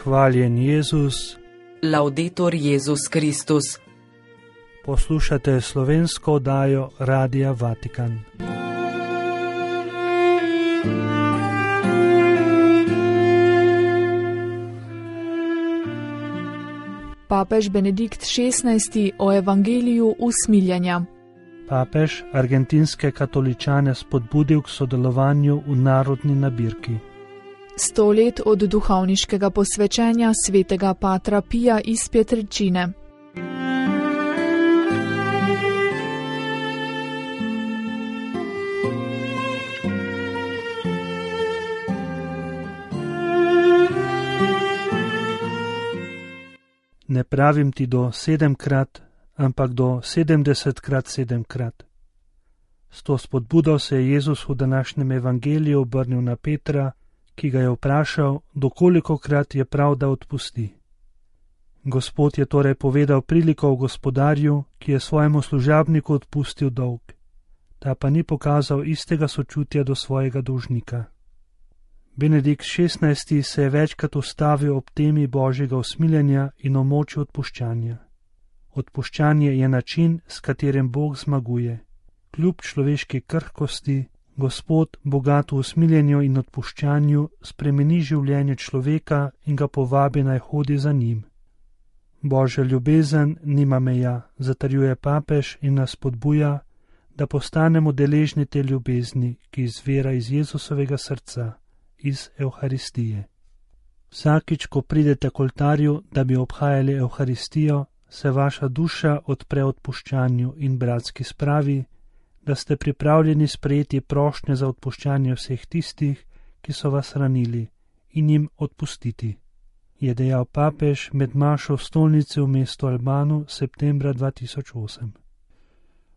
Hvaljen Jezus. Laudetur Jezus Kristus. Poslušate slovensko oddajo Radia Vatikan. Papež Benedikt XVI o evangeliju usmiljenja. Papež argentinske katoličane spodbudil k sodelovanju v narodni nabirki. 100 let od duhovniškega posvečenja svetega patra Pija iz Pietrelcine. Ne pravim ti do 7-krat, ampak do 70-krat 7-krat. S to spodbudo se je Jezus v današnjem evangeliju obrnil na Petra, ki ga je vprašal, dokolikokrat je prav, da odpusti. Gospod je torej povedal priliko o gospodarju, ki je svojemu služabniku odpustil dolg, ta pa ni pokazal istega sočutja do svojega dolžnika. Benedikt XVI se je večkrat ustavil ob temi božjega usmiljenja in o moči odpuščanja. Odpuščanje je način, s katerim Bog zmaguje. Kljub človeški krhkosti, Gospod, bogat v usmiljenju in odpuščanju, spremeni življenje človeka in ga povabi naj hodi za njim. Božja ljubezen nima meja, zatrjuje papež in nas spodbuja, da postanemo deležni te ljubezni, ki izvira iz Jezusovega srca, iz Evharistije. Vsakič, ko pridete k oltarju, da bi obhajali Evharistijo, se vaša duša odpre odpuščanju in bratski spravi, da ste pripravljeni sprejeti prošnje za odpuščanje vseh tistih, ki so vas ranili, in jim odpustiti, je dejal papež med mašo v stolnici v mestu Albanu septembra 2008.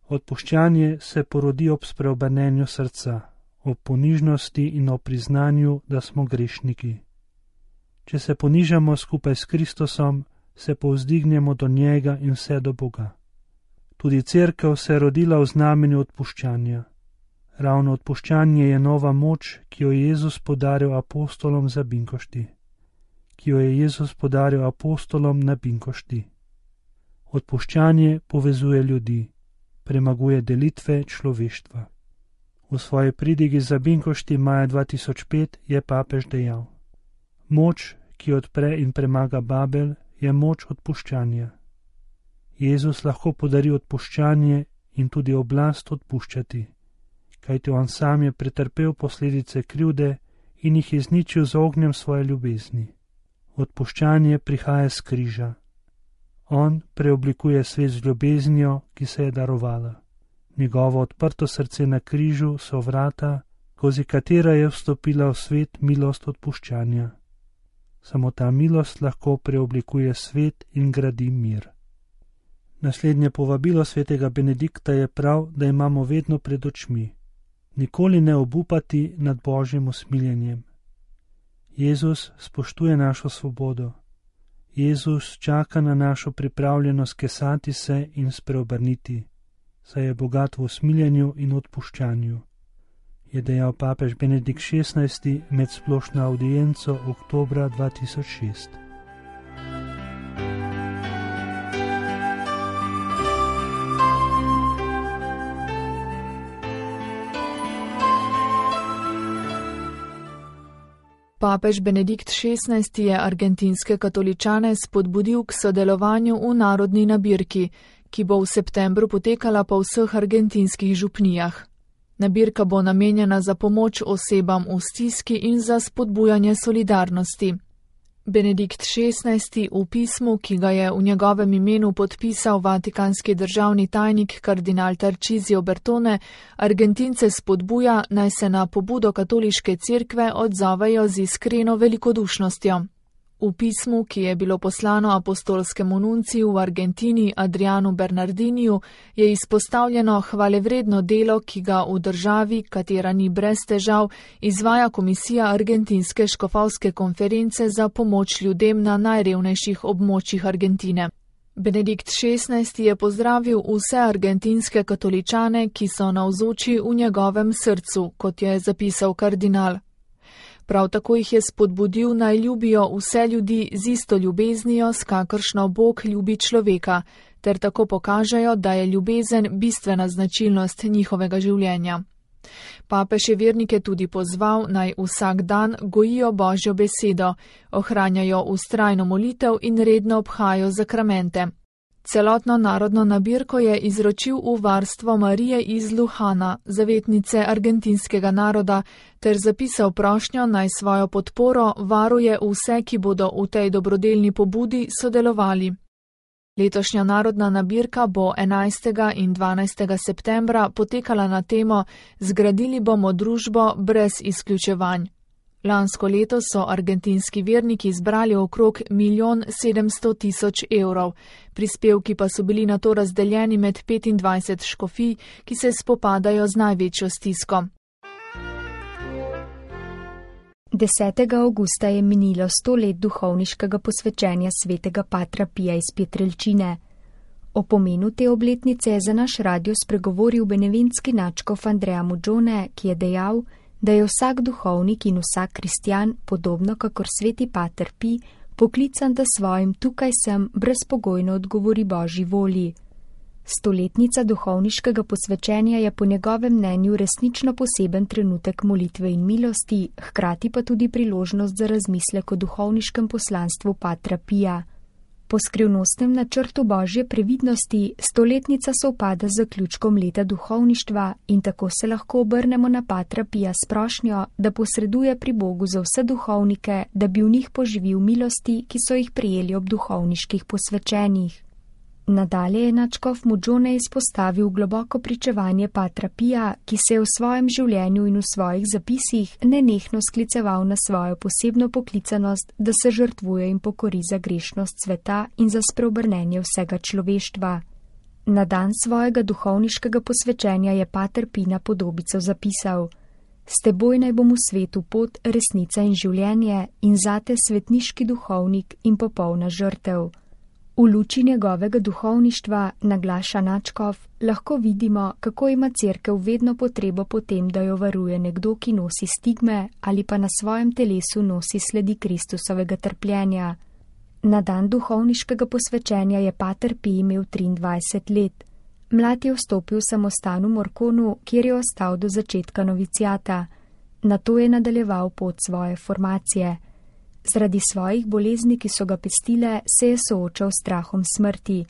Odpuščanje se porodi ob spreobrnenju srca, ob ponižnosti in ob priznanju, da smo grešniki. Če se ponižamo skupaj s Kristusom, se povzdignemo do njega in vse do Boga. Tudi cerkev se je rodila v znamenju odpuščanja. Ravno odpuščanje je nova moč, ki jo je Jezus podaril apostolom za Binkošti. Na Binkošti. Odpuščanje povezuje ljudi, premaguje delitve človeštva. V svoji pridigi za Binkošti maja 2005 je papež dejal: Moč, ki odpre in premaga Babel, je moč odpuščanja. Jezus lahko podari odpuščanje in tudi oblast odpuščati, kajti on sam je pretrpel posledice krivde in jih izničil z ognjem svoje ljubezni. Odpuščanje prihaja s križa. On preoblikuje svet z ljubeznijo, ki se je darovala. Njegovo odprto srce na križu so vrata, skozi katera je vstopila v svet milost odpuščanja. Samo ta milost lahko preoblikuje svet in gradi mir. Naslednje povabilo svetega Benedikta je prav, da imamo vedno pred očmi. Nikoli ne obupati nad božjim usmiljenjem. Jezus spoštuje našo svobodo. Jezus čaka na našo pripravljenost kesati se in spreobrniti, saj je bogat v usmiljenju in odpuščanju, je dejal papež Benedikt XVI med splošno avdienco oktobra 2006. Papež Benedikt XVI je argentinske katoličane spodbudil k sodelovanju v narodni nabirki, ki bo v septembru potekala po vseh argentinskih župnijah. Nabirka bo namenjena za pomoč osebam v stiski in za spodbujanje solidarnosti. Benedikt XVI v pismu, ki ga je v njegovem imenu podpisal vatikanski državni tajnik kardinal Tarcisio Bertone, Argentince spodbuja, naj se na pobudo katoliške cerkve odzovejo z iskreno velikodušnostjo. V pismu, ki je bilo poslano apostolskemu nunciju v Argentini Adrianu Bernardiniju, je izpostavljeno hvalevredno delo, ki ga v državi, katera ni brez težav, izvaja Komisija Argentinske škofovske konference za pomoč ljudem na najrevnejših območjih Argentine. Benedikt XVI je pozdravil vse argentinske katoličane, ki so navzoči v njegovem srcu, kot je zapisal kardinal. Prav tako jih je spodbudil, naj ljubijo vse ljudi z isto ljubeznijo, s kakršno Bog ljubi človeka, ter tako pokažejo, da je ljubezen bistvena značilnost njihovega življenja. Papež je vernike tudi pozval, naj vsak dan gojijo Božjo besedo, ohranjajo vztrajno molitev in redno obhajajo zakramente. Celotno narodno nabirko je izročil v varstvo Marije iz Luhana, zavetnice argentinskega naroda, ter zapisal prošnjo, naj svojo podporo varuje vse, ki bodo v tej dobrodelni pobudi sodelovali. Letošnja narodna nabirka bo 11. in 12. septembra potekala na temo Zgradili bomo družbo brez izključevanj. Lansko leto so argentinski verniki zbrali okrog 1.700.000 evrov. Prispevki pa so bili nato razdeljeni med 25 škofij, ki se spopadajo z največjo stisko. 10. avgusta je minilo 100 let duhovniškega posvečenja svetega Patra Pija iz Pietrelcine. O pomenu te obletnice je za naš radio spregovoril beneventski nadškof Andrea Muggione, ki je dejal, da je vsak duhovnik in vsak kristjan, podobno kakor sveti Pater Pij, poklican, da svojim tukaj sem brezpogojno odgovori Božji volji. Stoletnica duhovniškega posvečenja je po njegovem mnenju resnično poseben trenutek molitve in milosti, hkrati pa tudi priložnost za razmislek o duhovniškem poslanstvu Patra Pija. Po skrivnostnem načrtu Božje previdnosti stoletnica sovpada z zaključkom leta duhovništva in tako se lahko obrnemo na Patra Pija s prošnjo, da posreduje pri Bogu za vse duhovnike, da bi v njih poživil milosti, ki so jih prijeli ob duhovniških posvečenjih. Nadalje je nadškof Muggione izpostavil globoko pričevanje Patra Pija, ki se je v svojem življenju in v svojih zapisih nenehno skliceval na svojo posebno poklicanost, da se žrtvuje in pokori za grešnost sveta in za spreobrnenje vsega človeštva. Na dan svojega duhovniškega posvečenja je Pater Pij na podobico zapisal: S teboj naj bom v svetu pot, resnica in življenje in zate svetniški duhovnik in popolna žrtev. V luči njegovega duhovništva, naglaša nadškof, lahko vidimo, kako ima cerkev vedno potrebo po tem, da jo varuje nekdo, ki nosi stigme ali pa na svojem telesu nosi sledi Kristusovega trpljenja. Na dan duhovniškega posvečenja je Pater Pij imel 23 let. Mlad je vstopil v samostan v Morconu, kjer je ostal do začetka novicijata. Nato je nadaljeval pot svoje formacije. Zaradi svojih bolezni, ki so ga pestile, se je soočal s strahom smrti.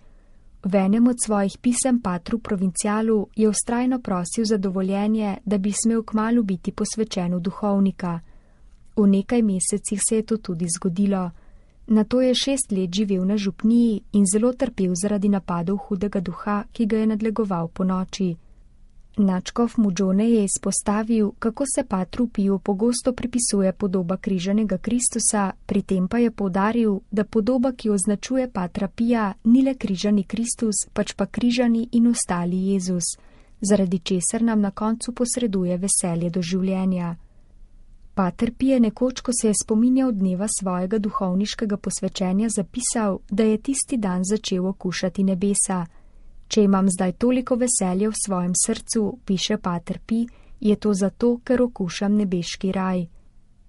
V enem od svojih pisem Patru Provincialu je vztrajno prosil za dovoljenje, da bi smel kmalu biti posvečen v duhovnika. V nekaj mesecih se je to tudi zgodilo. Nato je 6 let živel na župniji in zelo trpel zaradi napadov hudega duha, ki ga je nadlegoval po noči. Nadškof Muggione je izpostavil, kako se Patru Piju pogosto pripisuje podoba križanega Kristusa, pri tem pa je poudaril, da podoba, ki označuje Patra Pija, ni le križani Kristus, pač pa križani in ostali Jezus, zaradi česar nam na koncu posreduje veselje do življenja. Pater Pij je nekoč, ko se je spominjal dneva svojega duhovniškega posvečenja, zapisal, da je tisti dan začel okušati nebesa. Če imam zdaj toliko veselja v svojem srcu, piše Pater Pij, je to zato, ker okušam nebeški raj.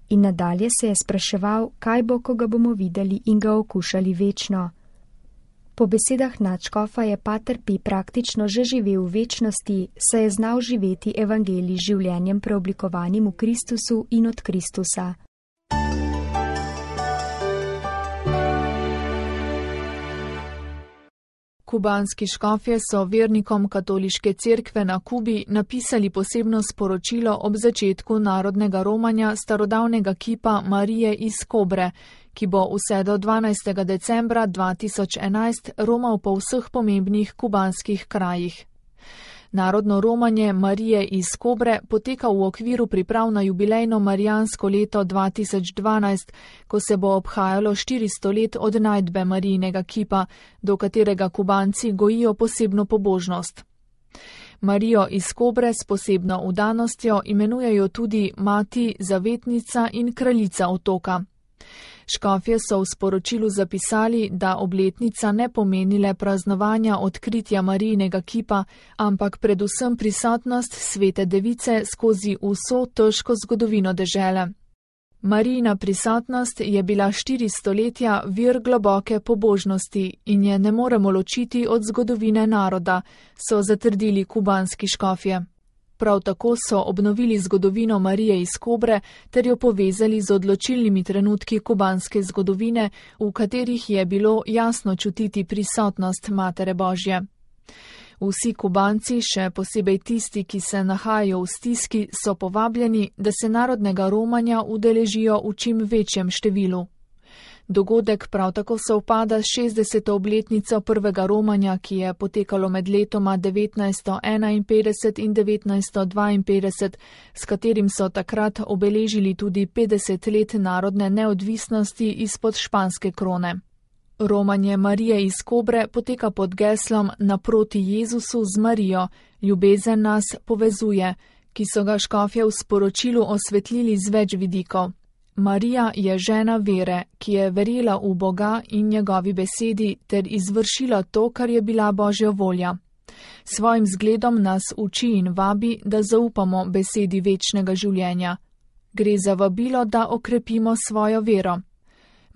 In nadalje se je spraševal, kaj bo, ko ga bomo videli in ga okušali večno. Po besedah nadškofa je Pater Pij praktično že živel v večnosti, saj je znal živeti evangelij življenjem preoblikovanim v Kristusu in od Kristusa. Kubanski škofje so vernikom katoliške cerkve na Kubi napisali posebno sporočilo ob začetku narodnega romanja starodavnega kipa Marije iz Kobre, ki bo vse do 12. decembra 2011 romal po vseh pomembnih kubanskih krajih. Narodno romanje Marije iz Kobre poteka v okviru priprav na jubilejno marijansko leto 2012, ko se bo obhajalo 400 let od najdbe Marijinega kipa, do katerega Kubanci gojijo posebno pobožnost. Marijo iz Kobre s posebno vdanostjo imenujejo tudi mati, zavetnica in kraljica otoka. Škofje so v sporočilu zapisali, da obletnica ne pomeni le praznovanja odkritja Marijinega kipa, ampak predvsem prisotnost svete device skozi vso težko zgodovino dežele. Marijina prisotnost je bila 4 stoletja vir globoke pobožnosti in je ne moremo ločiti od zgodovine naroda, so zatrdili kubanski škofje. Prav tako so obnovili zgodovino Marije iz Kobre ter jo povezali z odločilnimi trenutki kubanske zgodovine, v katerih je bilo jasno čutiti prisotnost Matere Božje. Vsi Kubanci, še posebej tisti, ki se nahajajo v stiski, so povabljeni, da se narodnega romanja udeležijo v čim večjem številu. Dogodek prav tako sovpada s 60. obletnico prvega romanja, ki je potekalo med letoma 1951 in 1952, s katerim so takrat obeležili tudi 50 let narodne neodvisnosti izpod španske krone. Romanje Marije iz Kobre poteka pod geslom Naproti Jezusu z Marijo, ljubezen nas povezuje, ki so ga škofje v sporočilu osvetlili z več vidikov. Marija je žena vere, ki je verjela v Boga in njegovi besedi ter izvršila to, kar je bila Božja volja. Svojim zgledom nas uči in vabi, da zaupamo besedi večnega življenja. Gre za vabilo, da okrepimo svojo vero.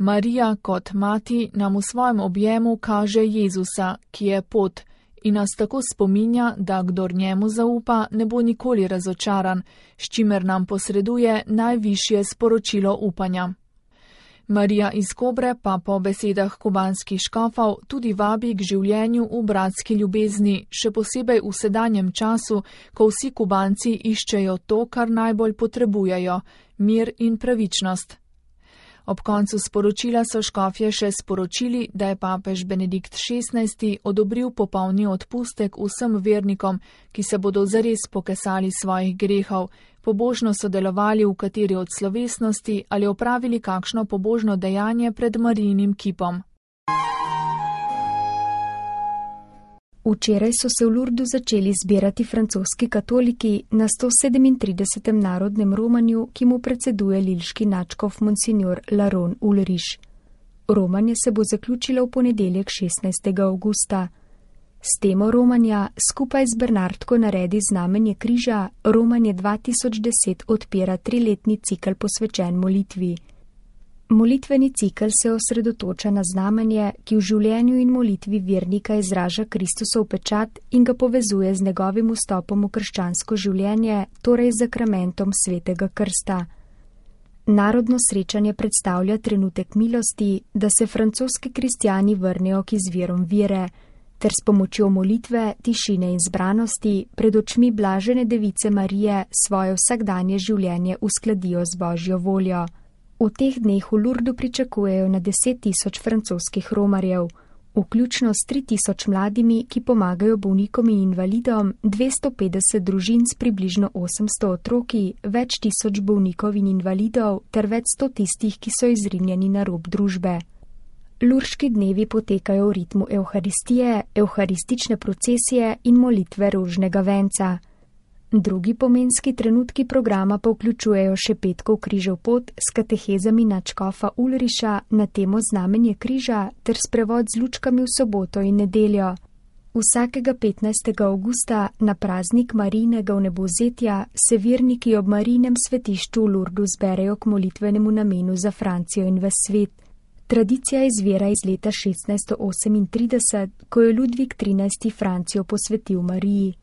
Marija kot mati nam v svojem objemu kaže Jezusa, ki je pot, in nas tako spominja, da kdor njemu zaupa, ne bo nikoli razočaran, s čimer nam posreduje najvišje sporočilo upanja. Marija iz Kobre pa po besedah kubanskih škofov tudi vabi k življenju v bratski ljubezni, še posebej v sedanjem času, ko vsi Kubanci iščejo to, kar najbolj potrebujejo, mir in pravičnost. Ob koncu sporočila so škofje še sporočili, da je papež Benedikt XVI odobril popolni odpustek vsem vernikom, ki se bodo zares pokesali svojih grehov, pobožno sodelovali v kateri od slovesnosti ali opravili kakšno pobožno dejanje pred Marijinim kipom. Včeraj so se v Lurdu začeli zbirati francoski katoliki na 137. narodnem romanju, ki mu predseduje lilški nadškof Monsignor Laron Ulrich. Romanje se bo zaključilo v ponedeljek 16. avgusta. S temo romanja skupaj z Bernardko naredi znamenje križa romanje 2010 odpira 3-letni cikel posvečen molitvi. Molitveni cikel se osredotoča na znamenje, ki v življenju in molitvi vernika izraža Kristusov pečat in ga povezuje z njegovim vstopom v krščansko življenje, torej z zakramentom svetega krsta. Narodno srečanje predstavlja trenutek milosti, da se francoski kristjani vrnejo k izvirom vere, ter s pomočjo molitve, tišine in zbranosti pred očmi blažene device Marije svoje vsakdanje življenje uskladijo z Božjo voljo. V teh dneh v Lurdu pričakujejo na 10 000 francoskih romarjev, vključno s 3 000 mladimi, ki pomagajo bolnikom in invalidom, 250 družin s približno 800 otroki, več tisoč bolnikov in invalidov ter več 100 tistih, ki so izrinjeni na rob družbe. Lurški dnevi potekajo v ritmu evharistije, evharistične procesije in molitve rožnega venca. Drugi pomenski trenutki programa pa vključujejo še petkov križev pot s katehezami nadškofa Ulriša na temo znamenje križa ter sprevod z lučkami v soboto in nedeljo. Vsakega 15. avgusta na praznik Marijinega vnebovzetja se verniki ob Marijinem svetišču v Lurdu zberejo k molitvenemu namenu za Francijo in ves svet. Tradicija izvira iz leta 1638, ko je Ludvik XIII. Francijo posvetil Mariji.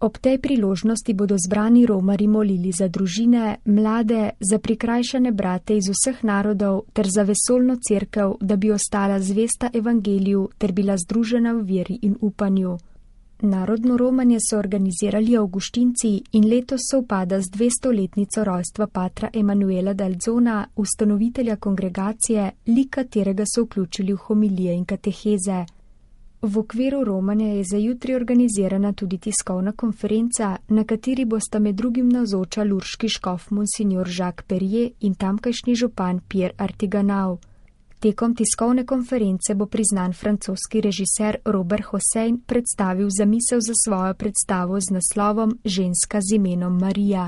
Ob tej priložnosti bodo zbrani romarji molili za družine, mlade, za prikrajšane brate iz vseh narodov ter za vesoljno cerkev, da bi ostala zvesta evangeliju ter bila združena v veri in upanju. Narodno romanje so organizirali avguštinci in letos sovpada z 200-letnico rojstva patra Emanuela d'Alzona, ustanovitelja kongregacije, lik katerega so vključili v homilije in kateheze. V okviru romanja je za jutri organizirana tudi tiskovna konferenca, na kateri bosta med drugim navzoča lurški škof Monsignor Jacques Perrier in tamkajšnji župan Pierre Artiganau. Tekom tiskovne konference bo priznan francoski režiser Robert Hossein predstavil zamisel za svojo predstavo z naslovom Ženska z imenom Marija.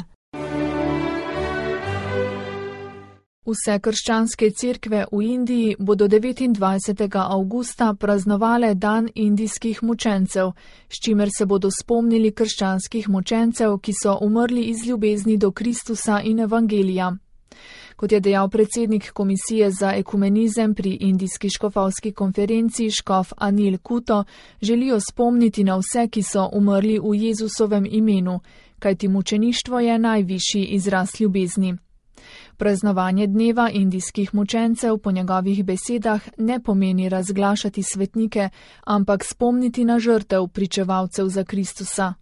Vse krščanske cerkve v Indiji bodo 29. avgusta praznovale dan indijskih mučencev, s čimer se bodo spomnili krščanskih mučencev, ki so umrli iz ljubezni do Kristusa in evangelija. Kot je dejal predsednik Komisije za ekumenizem pri Indijski škofovski konferenci škof Anil Kuto, želijo spomniti na vse, ki so umrli v Jezusovem imenu, kajti mučeništvo je najvišji izraz ljubezni. Praznovanje dneva indijskih mučencev po njegovih besedah ne pomeni razglašati svetnike, ampak spomniti na žrtev pričevalcev za Kristusa.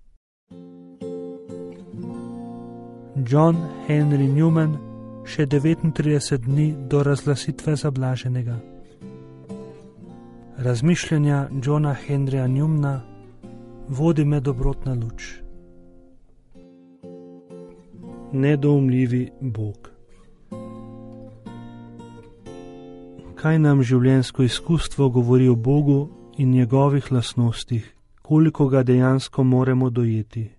John Henry Newman, še 39 dni do razglasitve za blaženega. Razmišljanja Johna Henryja Newmana vodi me dobrotna luč. Nedoumljivi Bog. Kaj nam življenjsko izkustvo govori o Bogu in njegovih lastnostih, koliko ga dejansko moramo dojeti?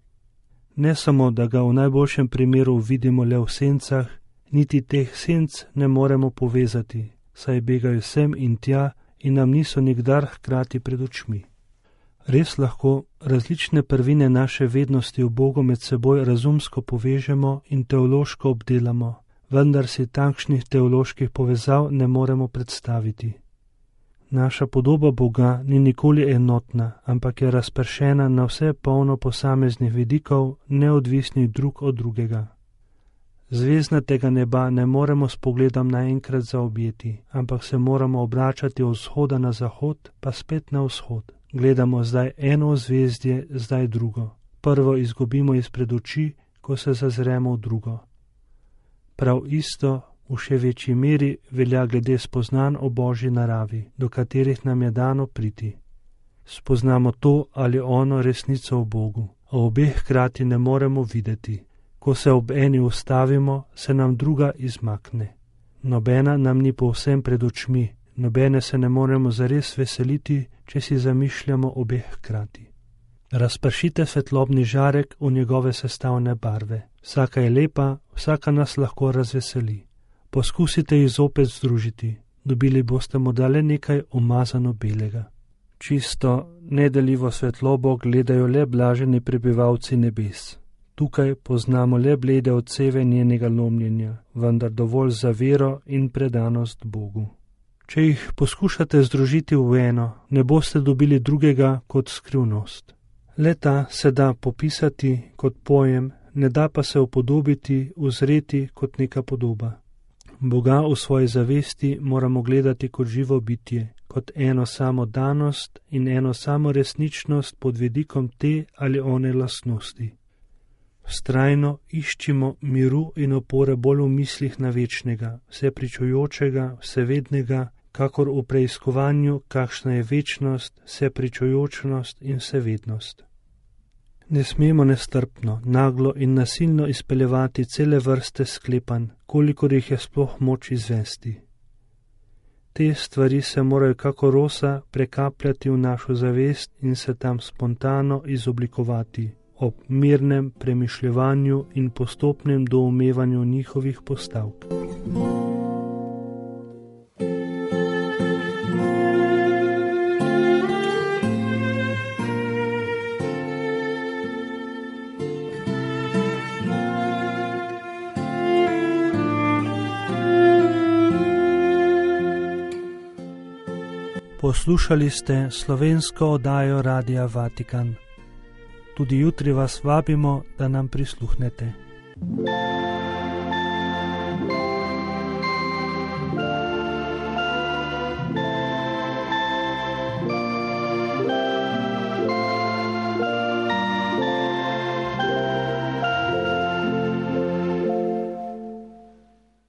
Ne samo, da ga v najboljšem primeru vidimo le v sencah, niti teh senc ne moremo povezati, saj begajo sem in tja in nam niso nikdar hkrati pred očmi. Res lahko različne prvine naše vednosti v Bogu med seboj razumsko povežemo in teološko obdelamo, vendar si takšnih teoloških povezav ne moremo predstaviti. Naša podoba Boga ni nikoli enotna, ampak je razpršena na vse polno posameznih vidikov, neodvisnih drug od drugega. Zvezdnatega neba ne moremo s pogledom naenkrat zaobjeti, ampak se moramo obračati od vzhoda na zahod, pa spet na vzhod. Gledamo zdaj eno ozvezdje, zdaj drugo. Prvo izgubimo izpred oči, ko se zazremo v drugo. Prav isto v še večji meri velja glede spoznanj o Božji naravi, do katerih nam je dano priti. Spoznamo to ali ono resnico o Bogu, a obeh hkrati ne moremo videti. Ko se ob eni ustavimo, se nam druga izmakne. Nobena nam ni povsem pred očmi, nobene se ne moremo zares veseliti, če si zamišljamo obeh hkrati. Razpršite svetlobni žarek v njegove sestavne barve. Vsaka je lepa, vsaka nas lahko razveseli. Poskusite jih zopet združiti, dobili boste morda le nekaj umazano belega. Čisto, nedeljivo svetlobo gledajo le blaženi prebivalci nebes. Tukaj poznamo le blede odseve njenega lomljenja, vendar dovolj za vero in predanost Bogu. Če jih poskušate združiti v eno, ne boste dobili drugega kot skrivnost. Le ta se da popisati kot pojem, ne da pa se upodobiti, uzreti kot neka podoba. Boga v svoji zavesti moramo gledati kot živo bitje, kot eno samo danost in eno samo resničnost pod vidikom te ali one lastnosti. Vztrajno iščimo miru in opore bolj v mislih na večnega, vsepričujočega, vsevednega, kakor v preiskovanju, kakšna je večnost, vsepričujočnost in vsevednost. Ne smemo nestrpno, naglo in nasilno izpeljevati cele vrste sklepanj, kolikor jih je sploh moč izvesti. Te stvari se morajo kako rosa prekapljati v našo zavest in se tam spontano izoblikovati, ob mirnem premišljevanju in postopnem doumevanju njihovih postavk. Poslušali ste slovensko oddajo Radia Vatikan. Tudi jutri vas vabimo, da nam prisluhnete.